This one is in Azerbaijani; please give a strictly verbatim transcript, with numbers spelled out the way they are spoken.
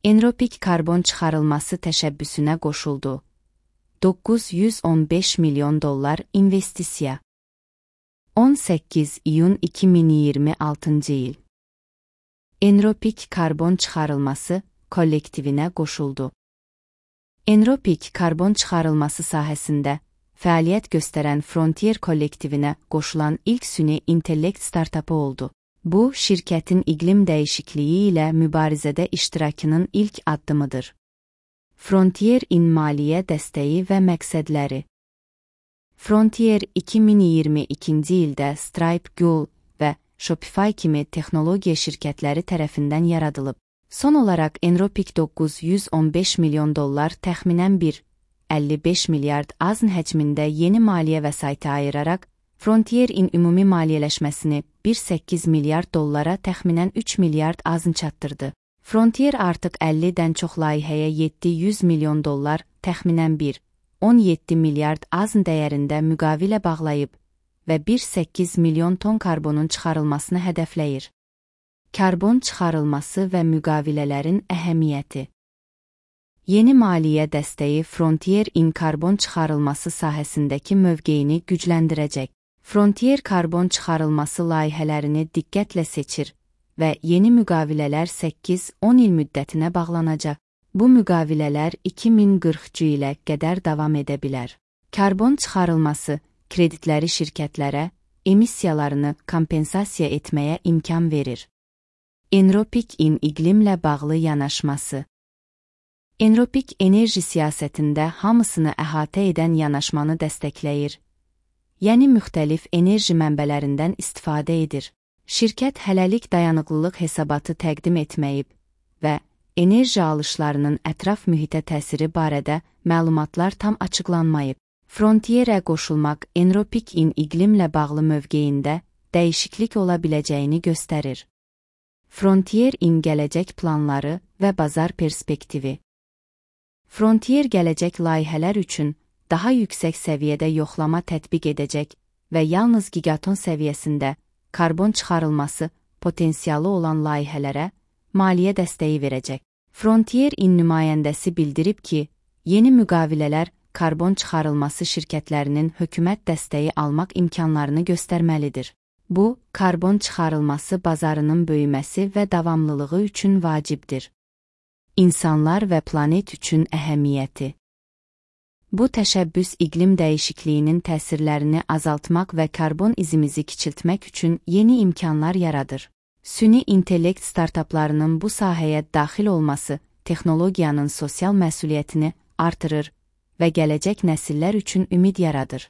Enropik karbon çıxarılması təşəbbüsünə qoşuldu. doqquz yüz on beş milyon dollar investisiya. on səkkiz iyun iki min iyirmi altıncı il. Enropik karbon çıxarılması kollektivinə qoşuldu. Enropik karbon çıxarılması sahəsində fəaliyyət göstərən Frontier kollektivinə qoşulan ilk süni intellekt startapı oldu. Bu, şirkətin iqlim dəyişikliyi ilə mübarizədə iştirakının ilk addımıdır. Frontier-in maliyyə dəstəyi və məqsədləri. Frontier iki min iyirmi ikinci ildə Stripe, Google və Shopify kimi texnologiya şirkətləri tərəfindən yaradılıb. Son olaraq Enropik doqquz yüz on beş milyon dollar təxminən bir nöqtə əlli beş milyard azn həcmində yeni maliyyə vəsaiti ayıraraq, Frontier-in ümumi maliyyələşməsini bir nöqtə səkkiz milyard dollara təxminən üç milyard azn çatdırdı. Frontier artıq əllidən çox layihəyə yeddi yüz milyon dollar, təxminən bir nöqtə on yeddi milyard azn dəyərində müqavilə bağlayıb və bir nöqtə səkkiz milyon ton karbonun çıxarılmasını hədəfləyir. Karbon çıxarılması və müqavilələrin əhəmiyyəti. Yeni maliyyə dəstəyi Frontier-in karbon çıxarılması sahəsindəki mövqeyini gücləndirəcək. Frontier karbon çıxarılması layihələrini diqqətlə seçir və yeni müqavilələr səkkiz on il müddətinə bağlanacaq. Bu müqavilələr iki min qırxıncı ilə qədər davam edə bilər. Karbon çıxarılması kreditləri şirkətlərə emissiyalarını kompensasiya etməyə imkan verir. Enropik-in iqlimlə bağlı yanaşması. Enropik enerji siyasətində hamısını əhatə edən yanaşmanı dəstəkləyir, yəni müxtəlif enerji mənbələrindən istifadə edir. Şirkət hələlik dayanıqlılıq hesabatı təqdim etməyib və enerji alışlarının ətraf mühitə təsiri barədə məlumatlar tam açıqlanmayıb. Frontierə qoşulmaq Enropik-in iqlimlə bağlı mövqeyində dəyişiklik ola biləcəyini göstərir. Frontier-in gələcək planları və bazar perspektivi. Frontier gələcək layihələr üçün daha yüksək səviyyədə yoxlama tətbiq edəcək və yalnız gigaton səviyyəsində karbon çıxarılması potensialı olan layihələrə maliyyə dəstəyi verəcək. Frontier-in nümayəndəsi bildirib ki, yeni müqavilələr karbon çıxarılması şirkətlərinin hökumət dəstəyi almaq imkanlarını göstərməlidir. Bu, karbon çıxarılması bazarının böyüməsi və davamlılığı üçün vacibdir. İnsanlar və planet üçün əhəmiyyəti. Bu təşəbbüs iqlim dəyişikliyinin təsirlərini azaltmaq və karbon izimizi kiçiltmək üçün yeni imkanlar yaradır. Süni intellekt startaplarının bu sahəyə daxil olması texnologiyanın sosial məsuliyyətini artırır və gələcək nəsillər üçün ümid yaradır.